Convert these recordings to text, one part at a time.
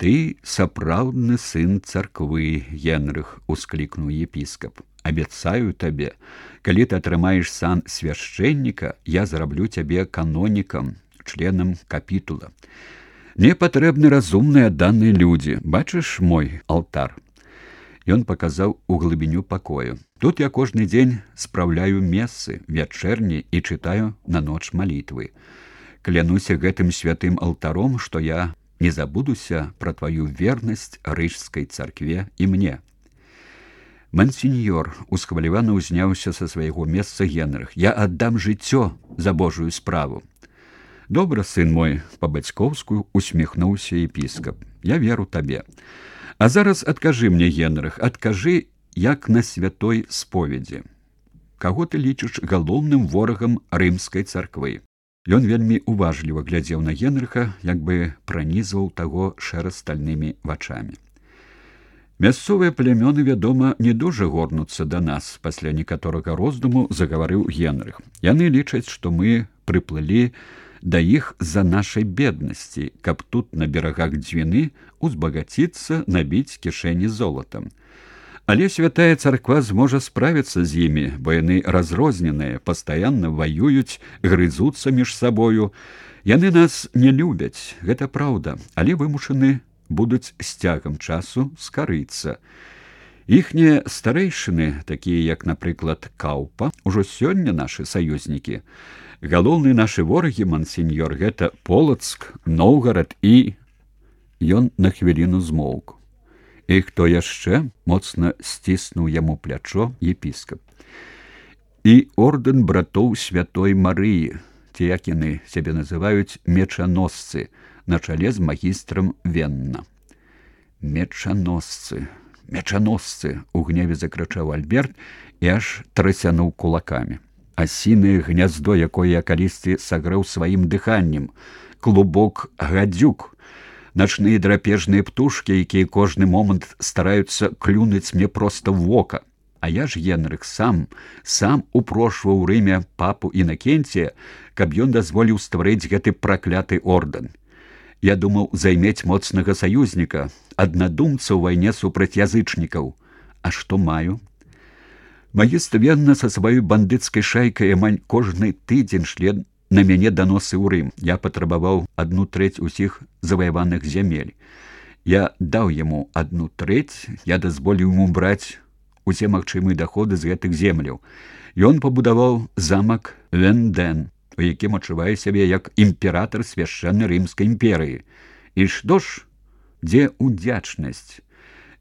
Ты сапраўдны сын царквы, Генрых, усклікнуў епіскап. Абяцаю табе, калі ты атрымаеш сан свяшчэнніка, я зраблю цябе канонікам, членам капітула. Мне патрэбны разумныя адданыя людзі. Бачыш мой алтар? Ён паказаў у глыбіню пакою. Тут я кожны дзень спраўляю мессы, вячэрні і чытаю на ноч малітвы. Клянуся гэтым святым алтаром, што я не забудуся пра тваю вернасць рыжскай царкве і мне. Мансіньёр усхвалявана ўзняўся са свайго месца Генрых. Я аддам жыццё за Божую справу. Добра, сын мой, па-бацькоўску усміхнуўся епіскап. Я веру табе. А зараз адкажы мне, Генрых, адкажы, як на святой споведзі. Каго ты лічыш галоўным ворагам рымскай царквы? Ён вельмі уважліва глядзеў на Генрыха, як бы пранізваў таго шэра-стальнымі вачамі. Мясцовыя плямёны, вядома, не дужа горнуцца да нас, пасля некаторага роздуму загаварыў Генрых. Яны лічаць, што мы прыплылі да іх з-за нашай беднасці, каб тут на берагах Двіны узбагаціцца, набіць кішэні золатам. Але святая царква зможа справіцца з імі, бо яны разрозненыя, пастаянна ваююць, грызуцца між сабою. Яны нас не любяць, гэта праўда, але вымушаны будуць з цягам часу скарыцца. Іхнія старэйшыны, такія як, напрыклад, Каўпа, ужо сёння нашы саюзнікі. Галоўныя нашы ворагі, мансіньёр, гэта Полацк, Новгарад і... Ён на хвіліну змоўк. І хто яшчэ? Моцна сціснуў яму плячо епіскап. І ордэн братоў святой Марыі, ці як яны сябе называюць мечаносцы, на чале з магістрам Венна. Мечаносцы, мечаносцы, у гневе закрычаў Альберт і аж трасянуў кулакамі. Асінае гняздо, якое я калісьці сагрэў сваім дыханнем, клубок гадзюк, начныя драпежныя птушкі, якія кожны момант стараюцца клюнуць мне проста ў вока. А я ж, Генрых, сам упрошваў у Рыме папу Інакенція, каб ён дазволіў стварыць гэты пракляты ордэн. Я думаў займець моцнага саюзніка, аднадумца ў вайне супраць язычнікаў. А што маю? Магістр Венна са сваёй бандыцкай шайкай амаль кожны тыдзень шле на мяне даносы ў Рым. Я патрабаваў 1/3 усіх заваяваных зямель. Я даў яму 1/3, я дазволіў яму браць усе магчымыя даходы з гэтых земляў. Ён пабудаваў замак Венден, у якім адчувае сябе як імператар свяшчэннай рымскай імперыі. І што ж, дзе удзячнасць?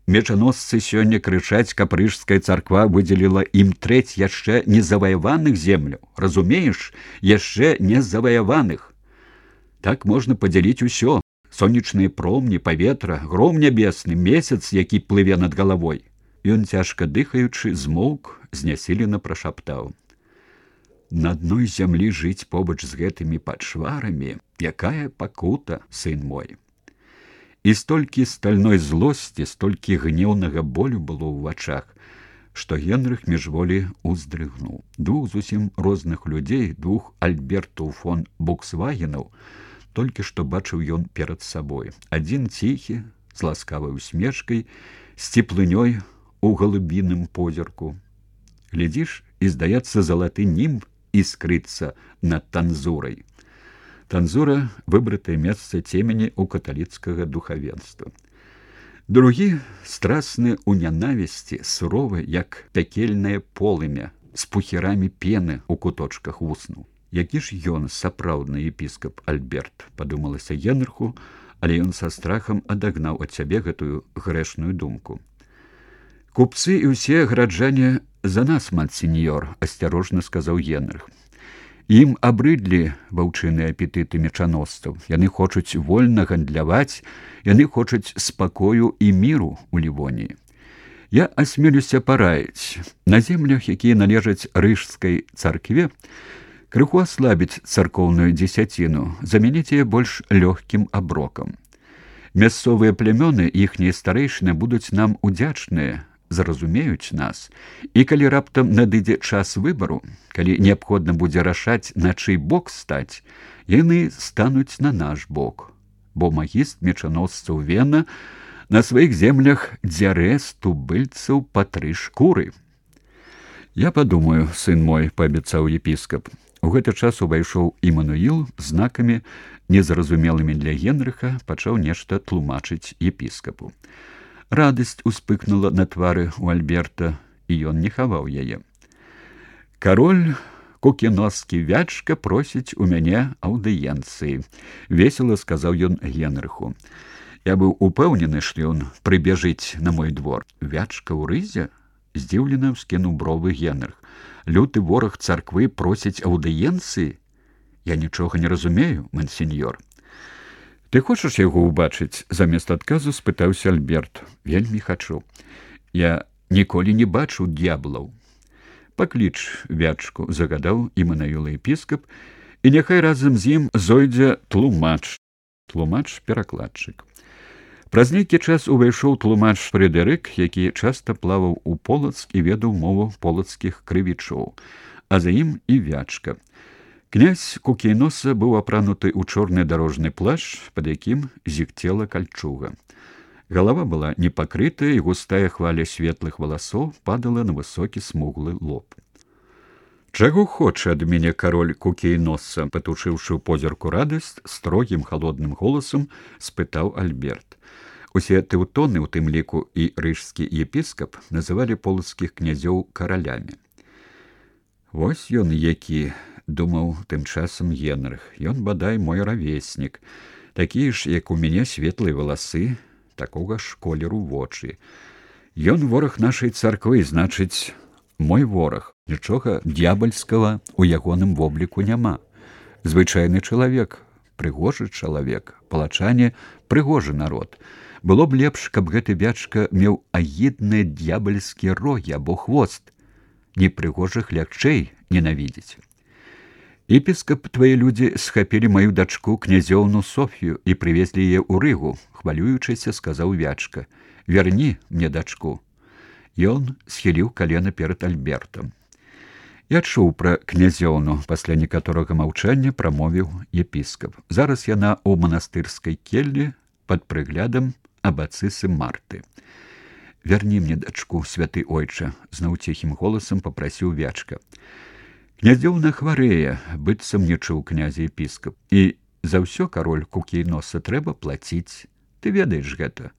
Мечаносцы сёння крычаць, каб рыжская царква выдзеліла ім 1/3 яшчэ незаваяваных земляў. Разумееш, яшчэ незаваяваных. Так можна падзяліць усё. Сонечныя промні, паветра, гром нябесны, месяц, які плыве над галавой. Ён, цяжка дыхаючы, змоўк, знясілена прашаптаў. На адной зямлі жыць побач з гэтымі пачварамі, якая пакута, сын мой. І столькі стальной злосці, столькі гнеўнага болю было ў вачах, што Генрых міжволі уздрыгнуў. Двух зусім розных людзей, двух Альбертаў фон Буксвагенаў, толькі што бачыў ён перад сабой. Адзін ціхі, з ласкавай усмешкай, з цеплынёй у галубіным позірку. Глядзіш, і, здаецца, залаты німб іскрыцца над танзурай. Танзура – выбратае месца цемені ў каталіцкага духавенства. Другі страсны ў нянавісці, суровы, як пякельнае полымя, з пухірамі пены ў куточках вуснаў. Які ж ён сапраўдны епіскап Альберт, падумалася Генрыху, але ён са страхам адагнаў ад сябе гэтую грэшную думку. Купцы і ўсе граджане за нас, мансіньёр, асцярожна сказаў Генрых. Ім абрыдлі ваўчыныя апетыты мечаносцаў. Яны хочуць вольна гандляваць, яны хочуць спакою і міру ў Лівоніі. Я асмелюся параіць. На землях, якія належаць рыжскай царкве, крыху аслабіць царкоўную дзесяціну, замяніць яе больш лёгкім аброкам. Мясцовыя плямёны, іхнія старэйшыны будуць нам удзячныя, зразумеюць нас, і калі раптам надыдзе час выбару, калі неабходна будзе рашаць, на чый бок стаць, яны стануць на наш бок, бо магіст мечаносцаў Вена на сваіх землях дзярэ з тубыльцаў па 3 шкуры. Я падумаю, сын мой, паабяцаў епіскап. У гэты час увайшоў Імануіл, знакамі, незразумелымі для Генрыха, пачаў нешта тлумачыць епіскапу. Радасць успыкнула на твары у Альберта, і ён не хаваў яе. Кароль Кукіноскі Вячка просіць у мяне аўдыенцыі, весела сказаў ён Генрыху. Я быў упэўнены, што ён прыбежыць на мой двор. Вячка ў рызе? Здзіўлена ўскінуў бровы Генрых. Люты вораг царквы просіць аўдыенцыі? Я нічога не разумею, мансеньор. Ты хочаш яго ўбачыць? Замест адказу спытаўся Альберт. Вельмі хачу. Я ніколі не бачыў д'яблаў. Пакліч Вячку, загадаў Імануіл епіскап, і няхай разам з ім зойдзе тлумач. Тлумач-перакладчык. Праз нейкі час увайшоў тлумач Фрэдэрык, які часта плаваў у Полацк і ведаў мову полацкіх крывічоў, а за ім і Вячка. Князь Кукейноса быў апрануты ў чорны дарожны плашч, пад якім зігцела кальчуга. Галава была непакрытая, і густая хваля светлых валасоў падала на высокі смуглы лоб. Чаго хоча ад мяне кароль Кукейноса, патушыўшы ў позірку радасць, строгім халодным голасам спытаў Альберт. Усе тэўтоны, у тым ліку і рыжскі епіскап, называлі полацкіх князёў каралямі. Вось ён які, думаў тым часам Генрых. Ён, бадай, мой равеснік. Такія ж, як у мяне, светлыя валасы, такога ж колеру вочы. Ён вораг нашай царквы, значыць, мой вораг. Нічога д'ябальскага ў ягоным вобліку няма. Звычайны чалавек, прыгожы чалавек, палачане прыгожы народ. Было б лепш, каб гэты Вячка меў агідныя д'ябальскія рогі або хвост. Непрыгожых лягчэй ненавідзець. Епіскап, твае людзі схапілі маю дачку князёўну Софію і прывезлі яе ў Рыгу, хвалюючыся, сказаў Вячка. Вярні мне дачку. Ён схіліў калена перад Альбертам. Я чуў пра князёўну, пасля некаторага маўчання прамовіў епіскап. Зараз яна ў манастырскай келлі пад прыглядам абацысы Марты. Вярні мне дачку, святы ойча, зноў ціхім голасам папрасіў Вячка. Князёўна хварэе, быццам не чуў князя епіскап. І за ўсё, кароль Кукейноса, трэба плаціць. Ты ведаеш гэта.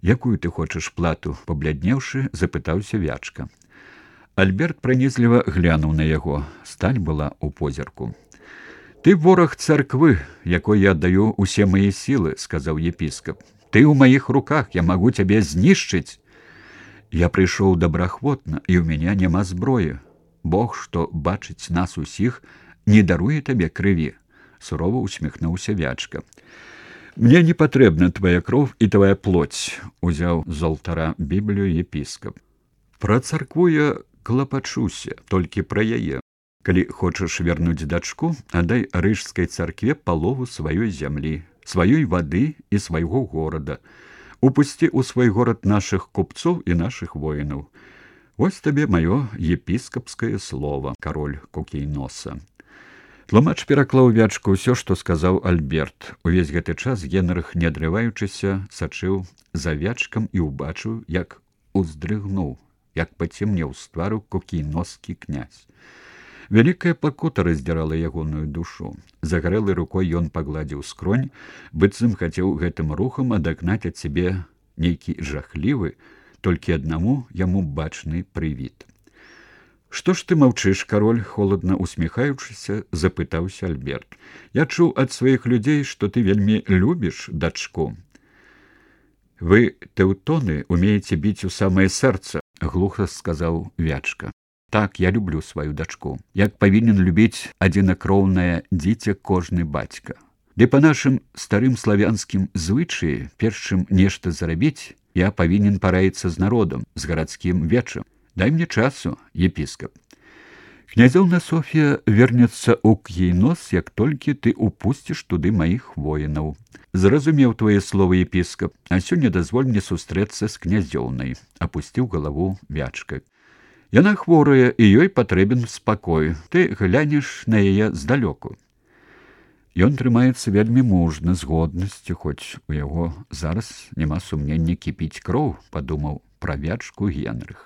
Якую ты хочаш плату? Пабляднеўшы, запытаўся Вячка. Альберт пранізліва глянуў на яго. Сталь была ў позірку. Ты вораг царквы, якой я аддаю усе мае сілы, сказаў епіскап. Ты ў маіх руках, я магу цябе знішчыць. Я прыйшоў добраахвотна, і ў мяне няма зброі. Бог, што бачыць нас усіх, не даруе табе крыві, сурова усміхнуўся Вячка. Мне не патрэбна твая кроў і твая плоть, узяў з алтара Біблію епіскап. Пра царкву я клапачуся, толькі пра яе. Калі хочаш вярнуць дачку, аддай рыжскай царкве палову сваёй зямлі, сваёй вады і свайго горада. Упусці ў свой горад нашых купцоў і нашых воінаў. Вось табе маё епіскапскае слова, кароль Кукейноса. Тлумач пераклаў Вячку ўсё, што сказаў Альберт. Увесь гэты час Генрых, не адрываючыся, сачыў за Вячкам і ўбачыў, як уздрыгнуў, як пацемнеў з твару Кукейноскі князь. Вялікая пакута раздзірала ягоную душу. Загарэлай рукой ён пагладзіў скронь, быццам хацеў гэтым рухам адагнаць ад сябе нейкі жахлівы, толькі аднаму яму бачны прывід. Што ж ты маўчыш, кароль, холадна усміхаючыся, запытаўся Альберт. Я чуў ад сваіх людзей, што ты вельмі любіш дачку. Вы, тэўтоны, умееце біць у самае сэрца, глуха сказаў Вячка. Так, я люблю сваю дачку. Як павінен любіць адзінакроўнае дзіця кожны бацька. Ды па нашым старым славянскім звычаі, перш чым нешта зарабіць, я павінен параіцца з народам, з гарадскім вечам. Дай мне часу, епіскап. Князёўна Софія вернецца ў Кейнос, як толькі ты упусціш туды маіх воінаў. Зразумеў твае словы, епіскап, а сёння дазволь мне сустрэцца з князёўнай, апусціў галаву Вячка. Яна хворая, і ёй патрэбен спакой. Ты глянеш на яе здалёку. Ён трымаецца вельмі мужна, з годнасцю, хоць у яго зараз няма сумнення кіпіць кроў, падумаў пра вячку Генрых.